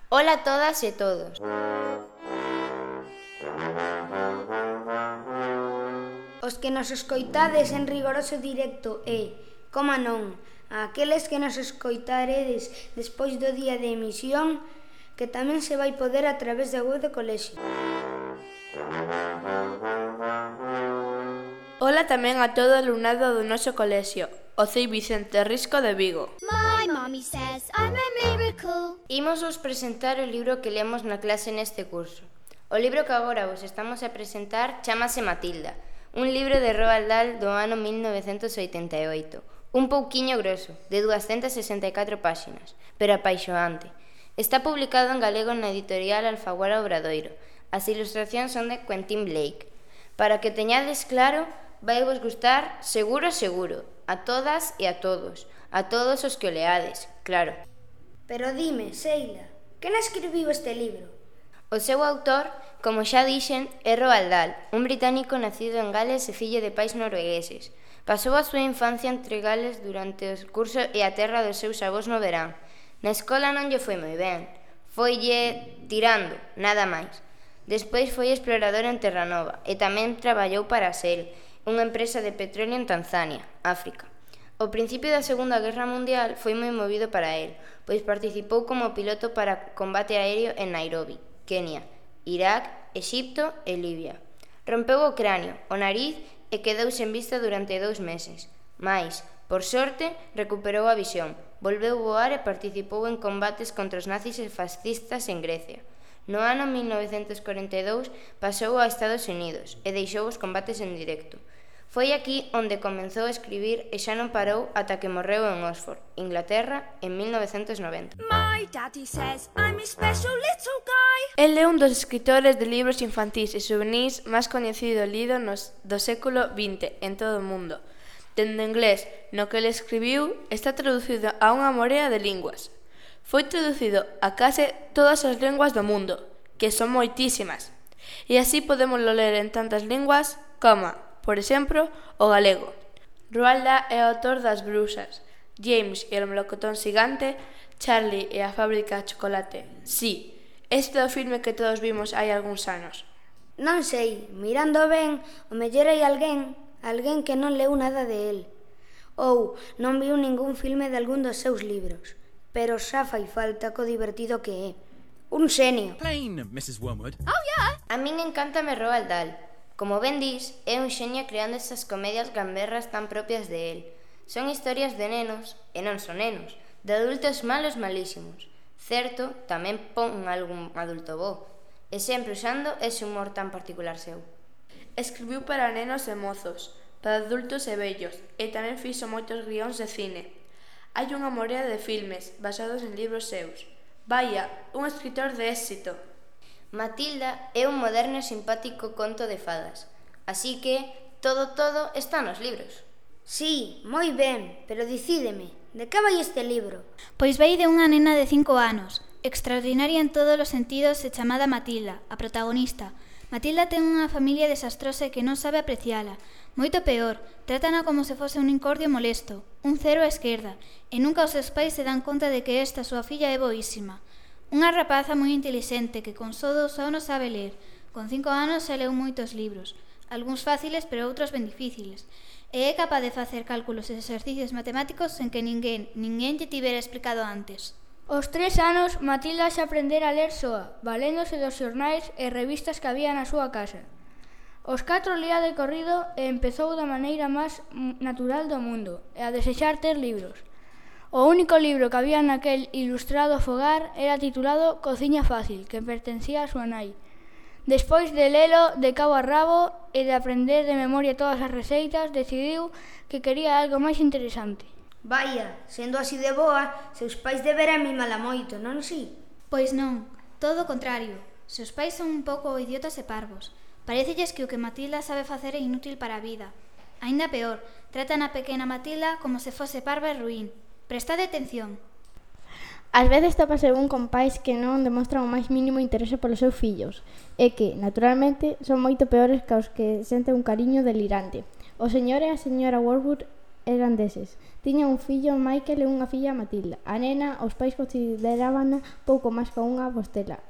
Ola a todas e todos. Os que nos escoitades en rigoroso directo e, coma non, a aqueles que nos escoitaredes despois do día de emisión, que tamén se vai poder a través da web do colexio. Ola tamén a todo o alumnado do noso colexio, o CEI Vicente Risco de Vigo. My mommy says I'm a miracle. Imos vos presentar o libro que lemos na clase neste curso. O libro que agora vos estamos a presentar chámase Matilda, un libro de Roald Dahl do ano 1988, un pouquiño groso, de 264 páxinas, pero apaixoante. Está publicado en galego na editorial Alfaguara Obradoiro. As ilustracións son de Quentin Blake. Para que teñades claro, vai vos gustar seguro, a todas e a todos os que o leades, claro. Pero dime, Sheila, quen escribiu este libro? O seu autor, como xa dixen, é Roald Dahl, un británico nacido en Gales e fillo de pais noruegueses. Pasou a súa infancia entre Gales durante o curso e a terra dos seus avós no verán. Na escola non lle foi moi ben, foille tirando, nada máis. Despois foi explorador en Terranova e tamén traballou para Shell, unha empresa de petróleo en Tanzania, África. O principio da Segunda Guerra Mundial foi moi movido para el, pois participou como piloto para combate aéreo en Nairobi, Kenia, Irak, Exipto e Libia. Rompeu o cranio, o nariz e quedou sen vista durante 2 meses. Mais, por sorte, recuperou a visión, volveu voar e participou en combates contra os nazis e fascistas en Grecia. No ano 1942 pasou a Estados Unidos e deixou os combates en directo. Foi aquí onde comezou a escribir e xa non parou ata que morreu en Oxford, Inglaterra, en 1990. My daddy says I'm a special little guy. El é un dos escritores de libros infantís e juvenís máis coñecido e lido do século XX en todo o mundo. Dende inglés, no que ele escribiu, está traducido a unha morea de linguas. Foi traducido a case todas as linguas do mundo, que son moitísimas. E así podemos ler en tantas linguas como, por exemplo, o galego. Roald Dahl é autor das Bruxas, James e o melocotón xigante, Charlie e a fábrica de chocolate. Sí, este é o filme que todos vimos hai algúns anos. Non sei, mirando ben, o mellor hai alguén que non leu nada de él. Ou non viu ningún filme de algún dos seus libros. Pero xa fai falta co divertido que é. Un xenio. Plain, Mrs. Wormwood. Oh yeah. A min encántame Roald Dahl. Como ben dis, é un xenio creando esas comedias gamberras tan propias de él. Son historias de nenos, e non son nenos, de adultos malos malísimos. Certo, tamén pon algún adulto bo, e sempre usando ese humor tan particular seu. Escribiu para nenos e mozos, para adultos e vellos, e tamén fixo moitos guións de cine. Hai unha morea de filmes basados en libros seus. Vaya, un escritor de éxito. Matilda é un moderno e simpático conto de fadas, así que todo está nos libros. Sí, moi ben, pero dicídeme, de que vai este libro? Pois vai de unha nena de 5 anos, extraordinaria en todos os sentidos e chamada Matilda, a protagonista. Matilda ten unha familia desastrosa e que non sabe apreciala. Moito peor, trátana como se fose un incordio molesto, un cero á esquerda, e nunca os seus pais se dan conta de que esta súa filla é boísima. Unha rapaza moi intelixente que con só 2 anos sabe ler. Con 5 anos xa leu moitos libros, algúns fáciles pero outros ben difíciles, e é capaz de facer cálculos e exercicios matemáticos sen que ninguén lle tivera explicado antes. Aos 3 anos, Matilda xa aprendera a ler soa, valéndose dos xornais e revistas que había na súa casa. Os 4 lía de corrido e empezou da maneira máis natural do mundo, e a desexar ter libros. O único libro que había naquel ilustrado fogar era titulado Cociña Fácil, que pertencía a súa nai. Despois de lelo de cabo a rabo e de aprender de memoria todas as receitas, decidiu que quería algo máis interesante. Vaya, sendo así de boa, seus pais deberán mimala moito, non si? Pois non, todo o contrario. Seus pais son un pouco idiotas e parvos. Parécelles que o que Matilda sabe facer é inútil para a vida. Aínda peor, tratan a pequena Matilda como se fose parva e ruín. Prestade atención. Ás veces topase un con pais que non demostran o máis mínimo interese polos seus fillos e que, naturalmente, son moito peores que os que senten un cariño delirante. O señor e a señora Wormwood eran deses. Tiña un fillo, Michael, e unha filla, Matilda. A nena, os pais considerábana pouco máis que unha bostela.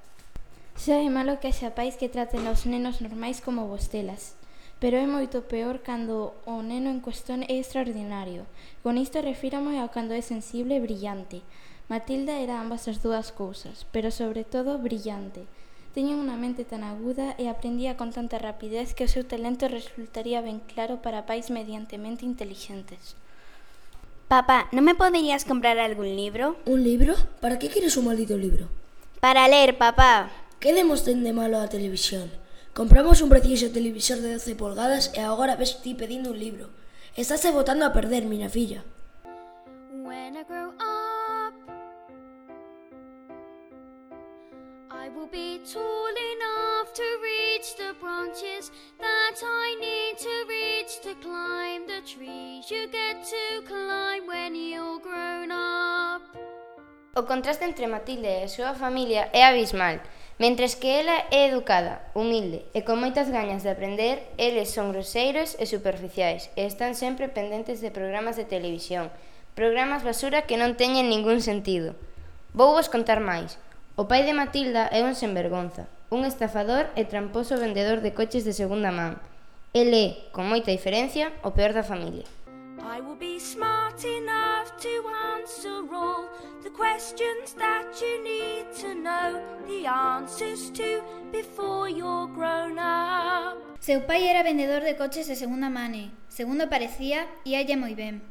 Xa é malo que haxa pais que traten aos nenos normais como bostelas, pero é moito peor cando o neno en cuestión é extraordinario. Con isto refírame a cando é sensible e brillante. Matilda era ambas as dúas cousas, pero sobre todo brillante. Tiña unha mente tan aguda e aprendía con tanta rapidez que o seu talento resultaría ben claro para pais mediantemente intelixentes. Papá, non me poderías comprar algún libro? Un libro? Para que queres un maldito libro? Para ler, papá. Que demos ten de malo a televisión? Compramos un precioso televisor de 12 polgadas e agora ves ti pedindo un libro. Estás botando a perder, miña filla. When I grow up, I will be tall enough to reach the branches that I need to reach to climb the trees you get to climb when you're grown up. O contraste entre Matilde e a súa familia é abismal. Mentres que ela é educada, humilde e con moitas gañas de aprender, eles son groseiros e superficiais e están sempre pendentes de programas de televisión, programas basura que non teñen ningún sentido. Vou vos contar máis. O pai de Matilda é un senvergonza, un estafador e tramposo vendedor de coches de segunda man. El é, con moita diferencia, o peor da familia. I will be smart enough to answer all the questions that you need to know the answers to before you're grown up. Seu pai era vendedor de coches de segunda mane. Segundo parecía, íalle moi ben.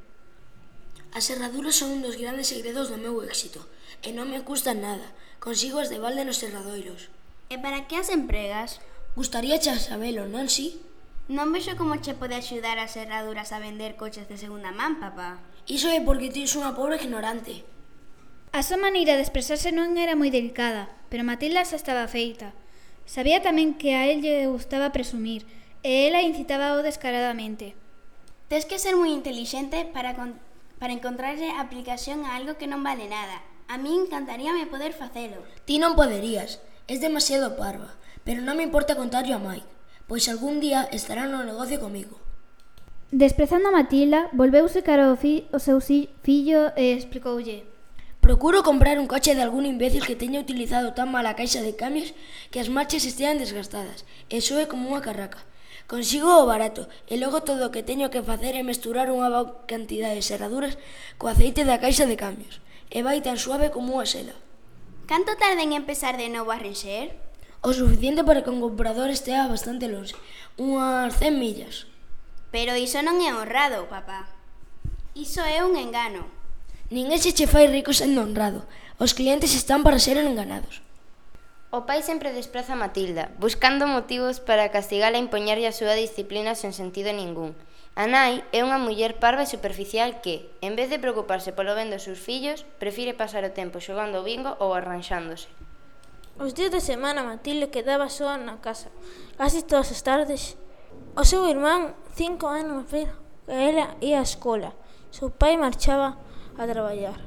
As serraduras son un dos grandes segredos do meu éxito e non me custan nada. Consigo as de balde nos serradoiros. E para que as empregas? Gustaría xa sabelo, non si? Non vexo como che pode axudar as serraduras a vender coches de segunda man, papá. Iso é porque ti unha pobre ignorante. A súa maneira de expresarse non era moi delicada, pero Matilda xa estaba feita. Sabía tamén que a él lle gustaba presumir, e ela incitaba-o descaradamente. Tes que ser moi intelixente para encontrarlle aplicación a algo que non vale nada. A mí encantaríame poder facelo. Ti non poderías, es demasiado parva, pero non me importa contarlo a Mike, pois algún día estará no negocio comigo. Desprezando a Matilda, volveuse cara ao seu fillo e explicoulle: Procuro comprar un coche de algún imbécil que teña utilizado tan mal a caixa de cambios que as marchas estean desgastadas, e soe como unha carraca. Consigo o barato, e logo todo o que teño que facer é mesturar unha boa cantidade de serraduras co aceite da caixa de cambios, e vai tan suave como unha seda. Canto tarda en empezar de novo a renxer? O suficiente para que un comprador estea bastante longe, unhas 100 millas. Pero iso non é honrado, papá. Iso é un engano. Ninguén se che fai rico sendo honrado. Os clientes están para ser enganados. O pai sempre despraza a Matilda, buscando motivos para castigala e impoñerlle a súa disciplina sen sentido ningún. A nai é unha muller parva e superficial que, en vez de preocuparse polo ben dos seus fillos, prefire pasar o tempo xogando ao bingo ou arranxándose. Os días de semana Matilde quedaba soa na casa, casi todas as tardes. O seu irmán, 5 anos máis que ela, ia á escola. Seu pai marchaba a traballar.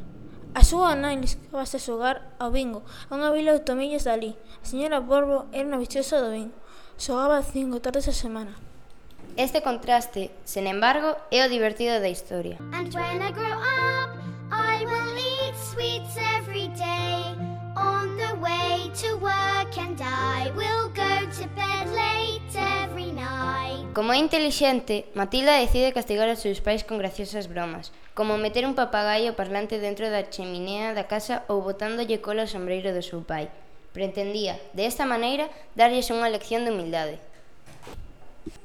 A súa nai liscábase a xogar ao bingo, a unha vila de tomillas dali. A señora Borbo era unha viciosa do bingo. Xogaba 5 tardes a semana. Este contraste, sen embargo, é o divertido da historia. And when I grow up, I will eat sweets every day. On the way to work and I will go to bed late every night. Como é intelixente, Matilda decide castigar aos seus pais con graciosas bromas, como meter un papagaio parlante dentro da cheminea da casa ou botándolle cola ao sombreiro do seu pai. Pretendía, desta maneira, darlles unha lección de humildade.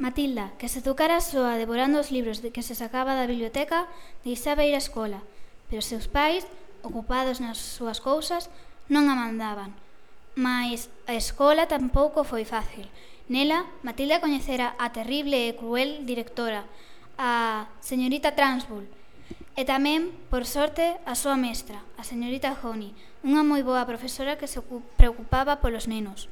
Matilda, que se educara soa devorando os libros de que se sacaba da biblioteca, deixaba ir á escola, pero os seus pais, ocupados nas súas cousas, non a mandaban. Mais a escola tampouco foi fácil. Nela, Matilda coñecera a terrible e cruel directora, a señorita Transbull, e tamén, por sorte, a súa mestra, a señorita Honey, unha moi boa profesora que se preocupaba polos nenos.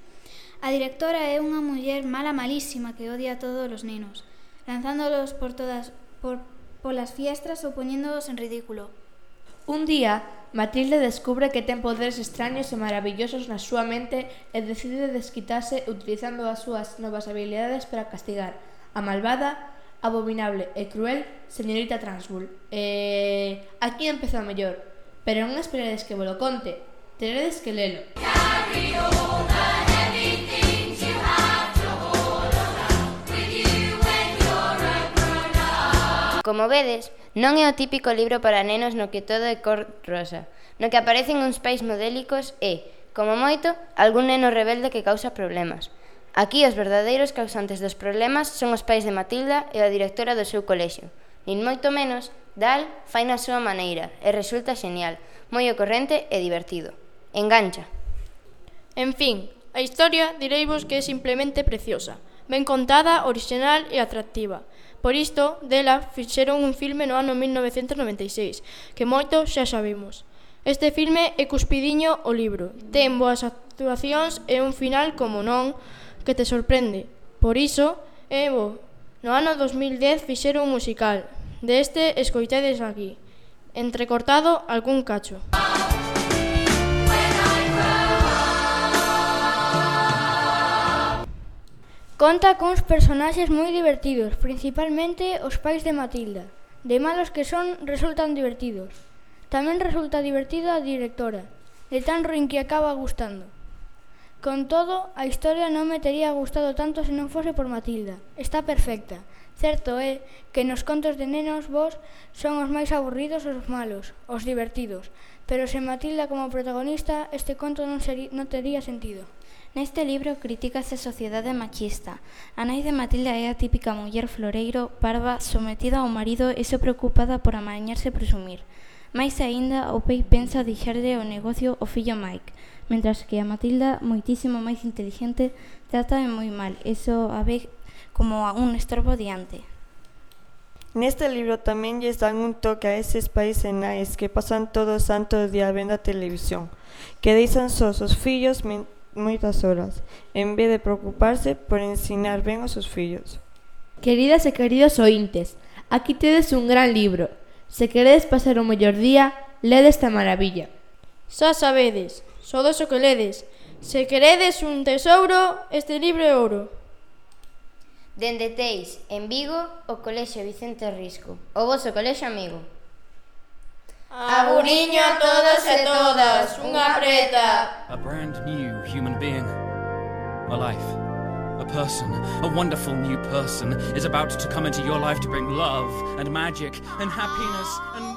A directora é unha muller malísima que odia a todos os nenos, lanzándolos polas fiestras ou poñéndolos en ridículo. Un día, Matilde descubre que ten poderes extraños e maravillosos na súa mente e decide desquitarse utilizando as súas novas habilidades para castigar a malvada abominable e cruel señorita Transbull. Aquí empezou a mellor, pero non esperedes que vos lo conte, teredes que lelo. Como vedes, non é o típico libro para nenos no que todo é cor rosa, no que aparecen uns pais modélicos e, como moito, algún neno rebelde que causa problemas. Aquí os verdadeiros causantes dos problemas son os pais de Matilda e a directora do seu colexio. Nin moito menos, Dal fai na súa maneira e resulta genial, moi ocorrente e divertido. Engancha. En fin, a historia direivos que é simplemente preciosa, ben contada, orixinal e atractiva. Por isto, dela fixeron un filme no ano 1996, que moito xa sabemos. Este filme é cuspidiño o libro, ten boas actuacións e un final, como non, que te sorprende. Por iso, é bo. No ano 2010 fixeron un musical. Deste escoitedes aquí, entrecortado algún cacho. Conta cuns personaxes moi divertidos, principalmente os pais de Matilda. De malos que son, resultan divertidos. Tamén resulta divertida a directora, de tan ruín que acaba gustando. Con todo, a historia non me tería gustado tanto se non fose por Matilda. Está perfecta. Certo é que nos contos de nenos vos son os máis aburridos os malos, os divertidos. Pero sen Matilda como protagonista, este conto non tería sentido. Neste libro critícase a sociedade machista. A nai de Matilda é a típica muller floreiro, parva, sometida ao marido e só preocupada por amañarse e presumir. Mais aínda, o pai pensa deixarlle o negocio ao fillo Mike, mentras que a Matilda, moitísimo máis inteligente, trata moi mal e só a ve como un estorbo diante. Neste libro tamén lles dan un toque a eses pais e nais que pasan todo o santo día vendo a televisión, que deixan sós os fillos moitas horas, en vez de preocuparse por ensinar ben aos seus fillos. Queridas e queridos ointes, aquí tedes un gran libro. Se queredes pasar o mellor día, lede esta maravilla. Xa sabedes, sodes o que ledes. Se queredes un tesouro, este libro é ouro. Dende Teis, en Vigo, o Colexio Vicente Risco, o voso colexio amigo. Aburiño a todos e todas, unha preta. A brand new human being, a life, a person, a wonderful new person is about to come into your life to bring love and magic and happiness and